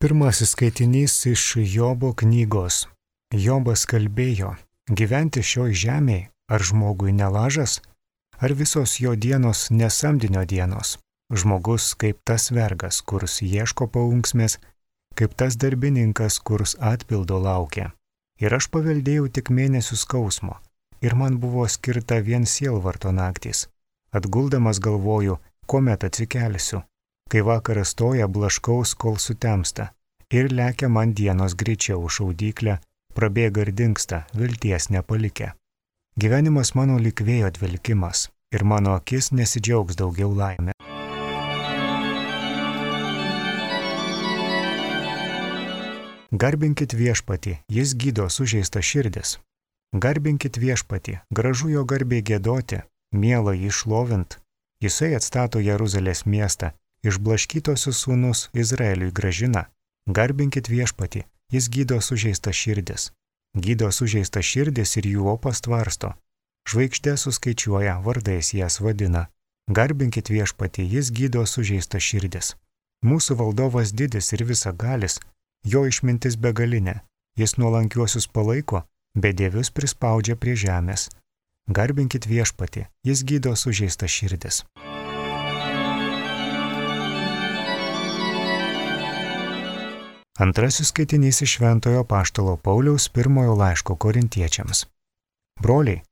Pirmasis skaitinys iš Jobo knygos. Jobas kalbėjo, gyventi šioj žemėj, ar žmogui nelažas, ar visos jo dienos nesamdinio dienos. Žmogus kaip tas vergas, kurs ieško paunksmės, kaip tas darbininkas, kurs atpildo laukia. Ir aš paveldėjau tik mėnesių skausmo, ir man buvo skirta vien sielvarto naktys. Atguldamas galvoju, kuomet atsikelsiu. Kai vakaras toja, blaškaus, kol sutemsta. Ir lekia man dienos greičiau šaudyklę, prabėga ir dingsta, vilties nepalikę. Gyvenimas mano lyg vėjo dvelkimas, ir mano akis nesidžiaugs daugiau laimę. Garbinkit viešpatį, jis gydo sužeistą širdis. Garbinkit viešpatį, gražu jo garbiai giedoti, miela jį šlovint. Jisai atstato Jeruzalės miestą, išblaškytosius sūnus Izraeliui gražina. Garbinkit viešpatį, jis gydo sužeistą širdis. Gydo sužeistą širdis ir jų opas tvarsto. Žvaigždė suskaičiuoja, vardais jas vadina. Garbinkit viešpatį, jis gydo sužeistą širdis. Mūsų valdovas didis ir visagalis, jo išmintis begalinė. Jis nuolankiuosius palaiko, bedievius prispaudžia prie žemės. Garbinkit viešpatį, jis gydo sužeistą širdis. Antrasis skaitinys iš Šventojo apaštalo Pauliaus pirmojo laiško Korintiečiams. Broliai,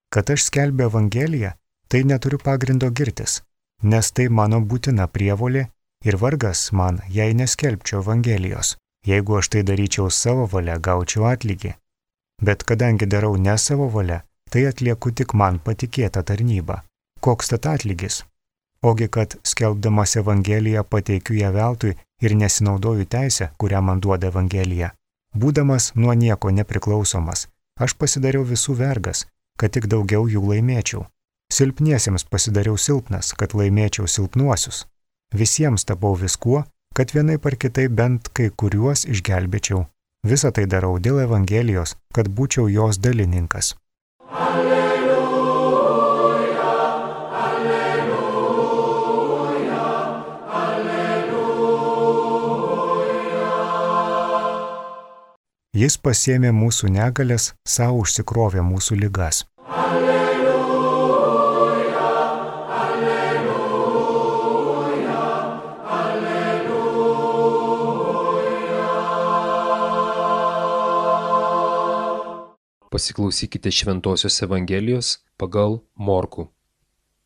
kad aš skelbiu evangeliją, tai neturiu pagrindo girtis, nes tai mano būtina prievolė ir vargas man, jei neskelbčiau evangelijos. Jeigu aš tai daryčiau savo valia, gaučiau atlygį. Bet kadangi darau ne savo valia, tai atlieku tik man patikėtą tarnybą. Koks tad atlygis? Ogi kad skelbdamas evangeliją pateikiu ją veltui ir nesinaudoju teisę, kurią man duoda evangelija. Būdamas nuo nieko nepriklausomas, aš pasidariau visų vergas, kad tik daugiau jų laimėčiau. Silpniesiems pasidariau silpnas, kad laimėčiau silpnuosius. Visiems tapau viskuo, kad vienaip ar kitaip bent kai kuriuos išgelbėčiau. Visą tai darau dėl evangelijos, kad būčiau jos dalininkas. Jis pasiėmė mūsų negalės, savo užsikrovė mūsų ligas. Alleluja, alleluja, alleluja. Pasiklausykite Šventosios Evangelijos pagal Morkų.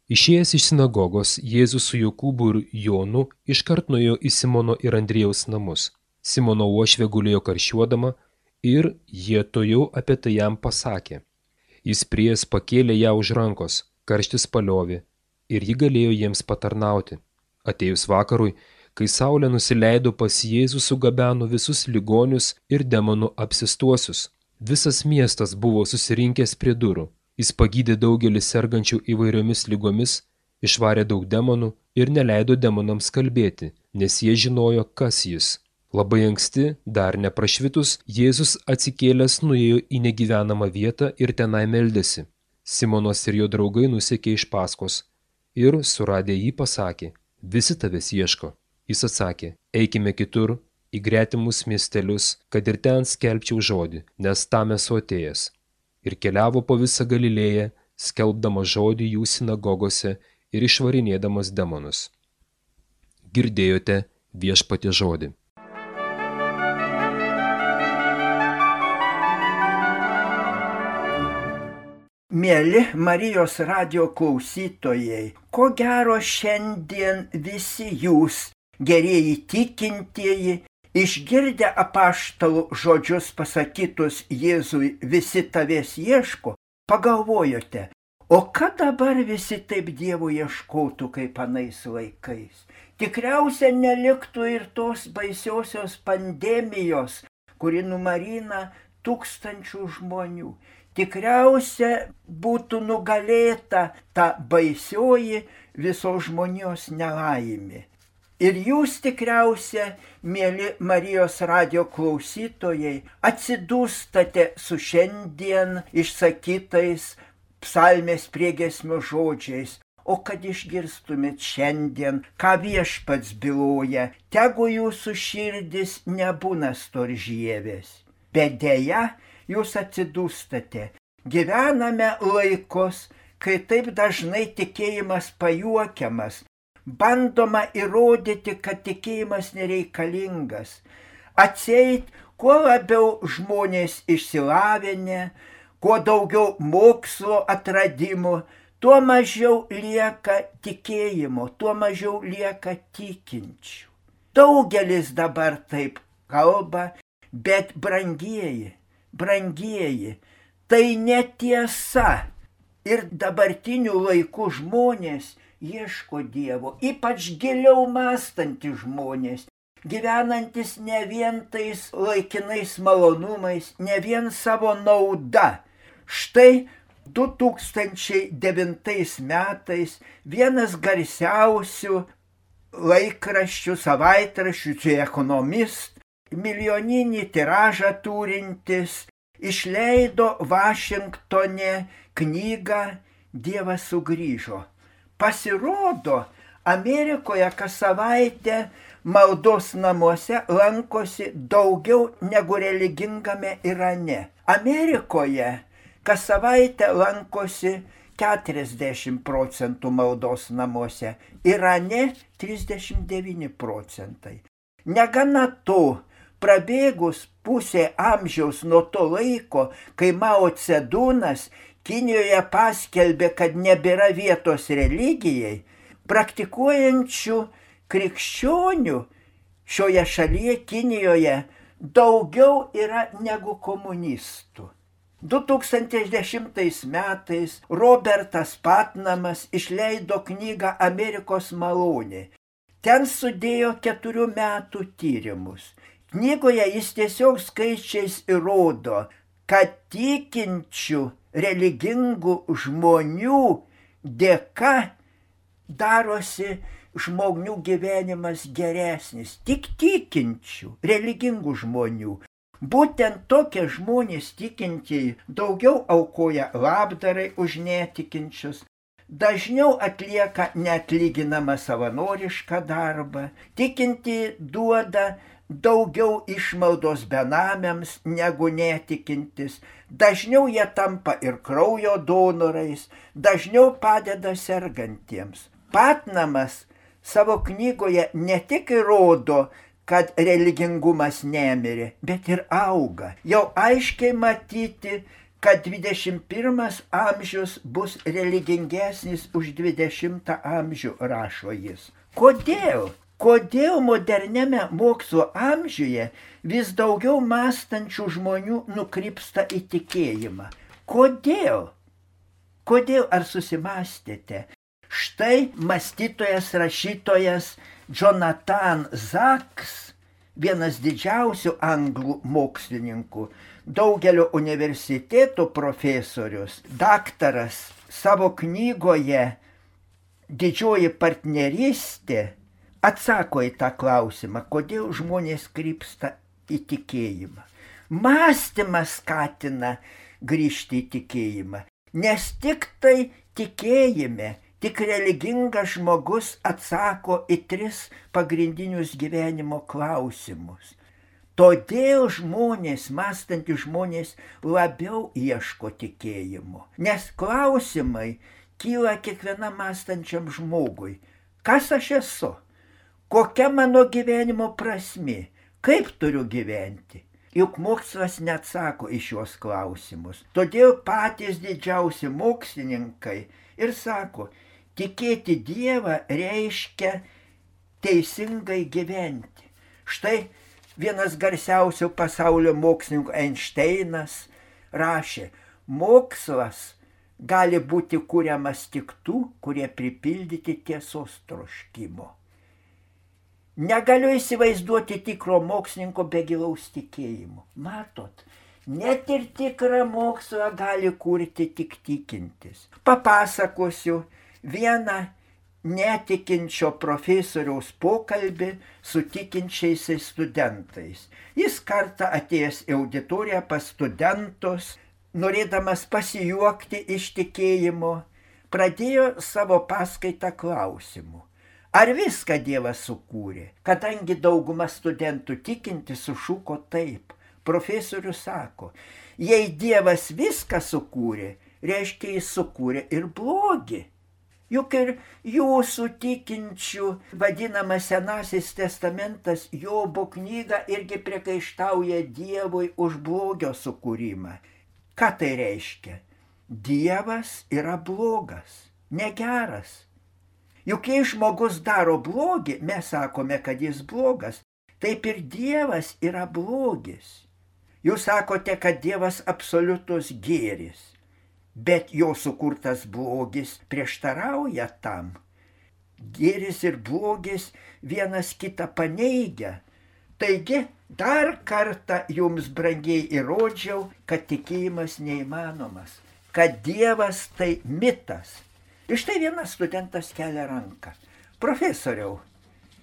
Išėjęs iš sinagogos, Jėzus su Jokūbu ir Jonu iškart nuėjo į Simono ir Andriejaus namus. Simono uošvė gulėjo karščiuodama, ir jie tojau apie tai jam pasakė. Jis priėjęs pakėlė ją už rankos, karštis paliovė, ir ji galėjo jiems patarnauti. Atėjus vakarui, kai saulė nusileido, pas Jėzų sugabeno visus ligonius ir demonų apsistuosius. Visas miestas buvo susirinkęs prie durų. Jis pagydė daugelį sergančių įvairiomis ligomis, išvarė daug demonų ir neleido demonams kalbėti, nes jie žinojo, kas jis. Labai anksti, dar neprašvitus, Jėzus atsikėlęs nuėjo į negyvenamą vietą ir tenai meldėsi. Simonas ir jo draugai nusekė iš paskos ir, suradę jį, pasakė, visi tavęs ieško. Jis atsakė, eikime kitur, į gretimus miestelius, kad ir ten skelbčiau žodį, nes tam esu atėjęs. Ir keliavo po visą Galilėją, skelbdamas žodį jų sinagogose ir išvarinėdamas demonus. Girdėjote viešpaties žodį. Mieli Marijos radijo klausytojai, ko gero šiandien visi jūs, gerieji tikintieji, išgirdę apaštalų žodžius pasakytus Jėzui, visi tavęs ieško, pagalvojote, o ką dabar visi taip Dievo ieškotų kaip anais laikais? Tikriausiai neliktų ir tos baisiosios pandemijos, kuri numarina tūkstančių žmonių. Tikriausia būtų nugalėta ta baisioji visos žmonijos nelaimė. Ir jūs tikriausia, mieli Marijos radijo klausytojai, atsidūstate su šiandien išsakytais psalmės priegiesmio žodžiais. o kad išgirstumėt šiandien, ką Viešpats byloja, tegu jūsų širdis nebūna storžievės. Bet deja, jūs atsidūstate. Gyvename laikus, kai taip dažnai tikėjimas pajuokiamas, bandoma įrodyti, kad tikėjimas nereikalingas. Atseit, kuo labiau žmonės išsilavinę, kuo daugiau mokslo atradimų, tuo mažiau lieka tikėjimo, tuo mažiau lieka tikinčių. Daugelis dabar taip kalba, bet brangieji, tai netiesa. Ir dabartinių laikų žmonės ieško Dievo, ypač giliau mąstantys žmonės, gyvenantis ne vien tais laikinais malonumais, ne vien savo nauda. Štai 2009 metais vienas garsiausių laikraščių, savaitraščių, The Economist, milijoninį tiražą turintis, išleido Vašingtone knygą Dievas sugrįžo. Pasirodo, Amerikoje kas savaitę maldos namuose lankosi daugiau negu religingame Irane. Amerikoje kas savaitę lankosi 40% maldos namuose, Irane 39%. Negana to, prabėgus pusė amžiaus nuo to laiko, kai Mao Cedunas Kinijoje paskelbė, kad nebėra vietos religijai, praktikuojančių krikščionių šioje šalyje Kinijoje daugiau yra negu komunistų. 2010 metais Robertas Patnamas išleido knygą Amerikos malonė. Ten sudėjo 4 metų tyrimus. Knygoje jis tiesiog skaičiais įrodo, kad tikinčių religingų žmonių dėka darosi žmonių gyvenimas geresnis. Tik tikinčių, religingų žmonių. Būtent tokie žmonės tikintieji daugiau aukoja labdarai už netikinčius, dažniau atlieka neatlyginamą savanorišką darbą, tikintieji duoda daugiau išmaldos benamiams negu netikintis, dažniau jie tampa ir kraujo donorais, dažniau padeda sergantiems. Patnamas savo knygoje ne tik įrodo, kad religingumas nemirė, bet ir auga. Jau aiškiai matyti, kad 21 amžius bus religingesnis už 20 amžių, rašo jis. Kodėl? Kodėl moderniame mokslo amžiuje vis daugiau mąstančių žmonių nukrypsta į tikėjimą? Kodėl? Kodėl, ar susimąstėte? Štai mąstytojas, rašytojas Jonathan Sacks, vienas didžiausių anglų mokslininkų, daugelio universitetų profesorius, daktaras, savo knygoje Didžioji partnerystė atsako į tą klausimą, kodėl žmonės krypsta į tikėjimą. Mąstymas skatina grįžti į tikėjimą, nes tik tai tikėjime, tik religingas žmogus atsako į 3 pagrindinius gyvenimo klausimus. Todėl žmonės, mąstantys žmonės, labiau ieško tikėjimo. Nes klausimai kyla kiekvienam mąstančiam žmogui. Kas aš esu? Kokia mano gyvenimo prasmė? Kaip turiu gyventi? Juk mokslas neatsako į šios klausimus. Todėl patys didžiausi mokslininkai ir sako, tikėti Dievą reiškia teisingai gyventi. Štai vienas garsiausių pasaulio mokslininkų Einšteinas rašė, mokslas gali būti kuriamas tik tų, kurie pripildyti tiesos troškimo. Negaliu įsivaizduoti tikro mokslininko be gilaus tikėjimo. Matot, net ir tikrą mokslą gali kurti tik tikintis. Papasakosiu vieną netikinčio profesoriaus pokalbį su tikinčiais studentais. Jis kartą atėjęs į auditoriją pas studentus, norėdamas pasijuokti iš tikėjimo, pradėjo savo paskaitą klausimu. Ar viską Dievas sukūrė? Kadangi dauguma studentų tikinti sušuko taip. Profesorius sako, jei Dievas viską sukūrė, reiškia jis sukūrė ir blogį. Juk ir jūsų tikinčių vadinamas Senasis testamentas Jobo knyga irgi priekaištauja Dievui už blogio sukūrimą. Ką tai reiškia? Dievas yra blogas, negeras. Juk jei žmogus daro blogį, mes sakome, kad jis blogas, taip ir Dievas yra blogis. Jūs sakote, kad Dievas absoliutus gėris. Bet jo sukurtas blogis prieštarauja tam. Gėris ir blogis vienas kitą paneigia. Taigi, dar kartą jums brangiai įrodžiau, kad tikėjimas neįmanomas, kad Dievas tai mitas. Ir štai vienas studentas kelia ranką. Profesoriau,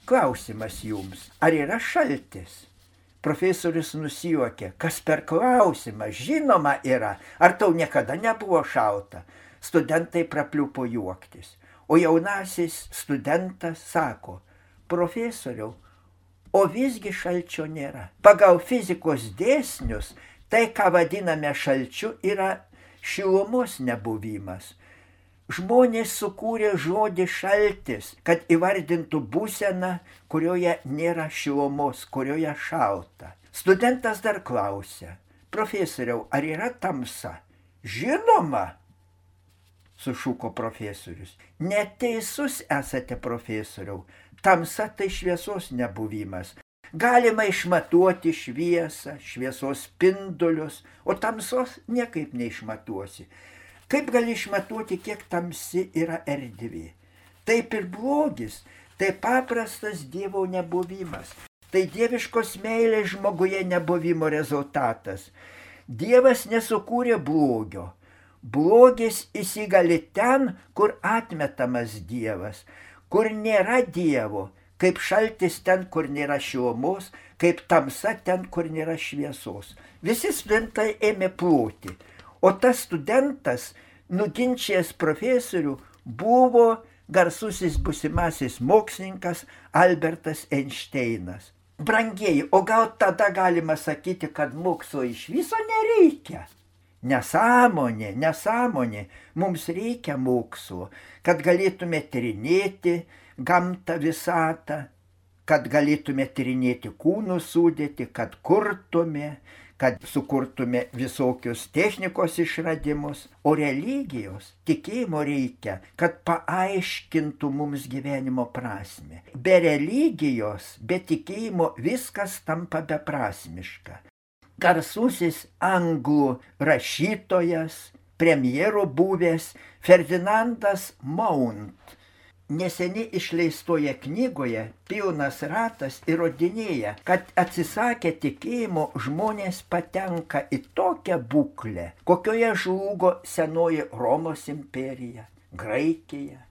klausimas jums, ar yra šaltis? Profesorius nusijuokė, kas per klausimą, žinoma yra, ar tau niekada nebuvo šalta. Studentai prapliupo juoktis, o jaunasis studentas sako, profesoriau, o visgi šalčio nėra. Pagal fizikos dėsnius, tai, ką vadiname šalčiu, yra šilumos nebuvimas. Žmonės sukūrė žodį šaltis, kad įvardintų būseną, kurioje nėra šilumos, kurioje šalta. Studentas dar klausia, profesoriau, ar yra tamsa? Žinoma, sušuko profesorius. Neteisus esate, profesoriau. Tamsa tai šviesos nebuvimas. Galima išmatuoti šviesą, šviesos spindulius, o tamsos niekaip neišmatuosi. Kaip gali išmatuoti, kiek tamsi yra erdvė? Taip ir blogis, tai paprastas Dievo nebuvimas. Tai dieviškos meilės žmoguje nebuvimo rezultatas. Dievas nesukūrė blogio. Blogis įsigali ten, kur atmetamas Dievas, kur nėra Dievo, kaip šaltis ten, kur nėra šilumos, kaip tamsa ten, kur nėra šviesos. Visi studentai ėmė ploti. O tas studentas, nuginčijęs profesorių, buvo garsusis būsimasis mokslininkas Albertas Einšteinas. Brangieji, o gal tada galima sakyti, kad mokslo iš viso nereikia? Nesąmonė, nesąmonė. Mums reikia mokslo, kad galėtume tyrinėti gamtą visatą, kad galėtume tyrinėti kūnų sudėtį, kad kurtume, kad sukurtume visokius technikos išradimus, o religijos, tikėjimo reikia, kad paaiškintų mums gyvenimo prasmę. Be religijos, be tikėjimo viskas tampa beprasmiška. Garsusis anglų rašytojas, premjeru buvęs Ferdinandas Mount neseniai išleistoje knygoje Pilnas ratas įrodinėja, kad atsisakę tikėjimo žmonės patenka į tokią būklę, kokioje žlugo senoji Romos imperija, Graikija.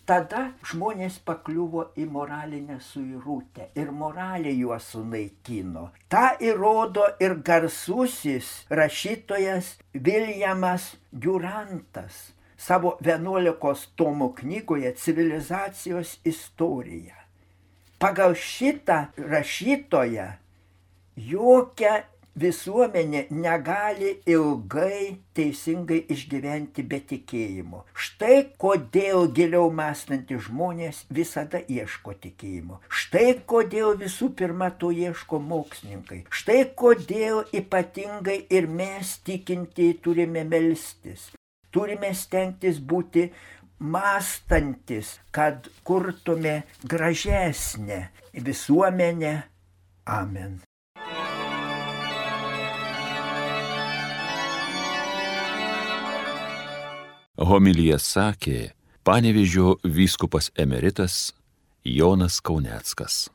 Tada žmonės pakliuvo į moralinę suirutę ir moralė juos sunaikino. Ta įrodo ir garsusis rašytojas Viljamas Durantas savo 11 tomų knygoje Civilizacijos istorija. Pagal šitą rašytoją jokia visuomenė negali ilgai teisingai išgyventi be tikėjimo. Štai kodėl giliau mąstantys žmonės visada ieško tikėjimo. Štai kodėl visų pirma to ieško mokslininkai. Štai kodėl ypatingai ir mes tikintieji turime melstis. Turime stengtis būti mąstantis, kad kurtume gražesnę visuomenę. Amen. Homiliją sakė Panevėžio vyskupas emeritas Jonas Kauneckas.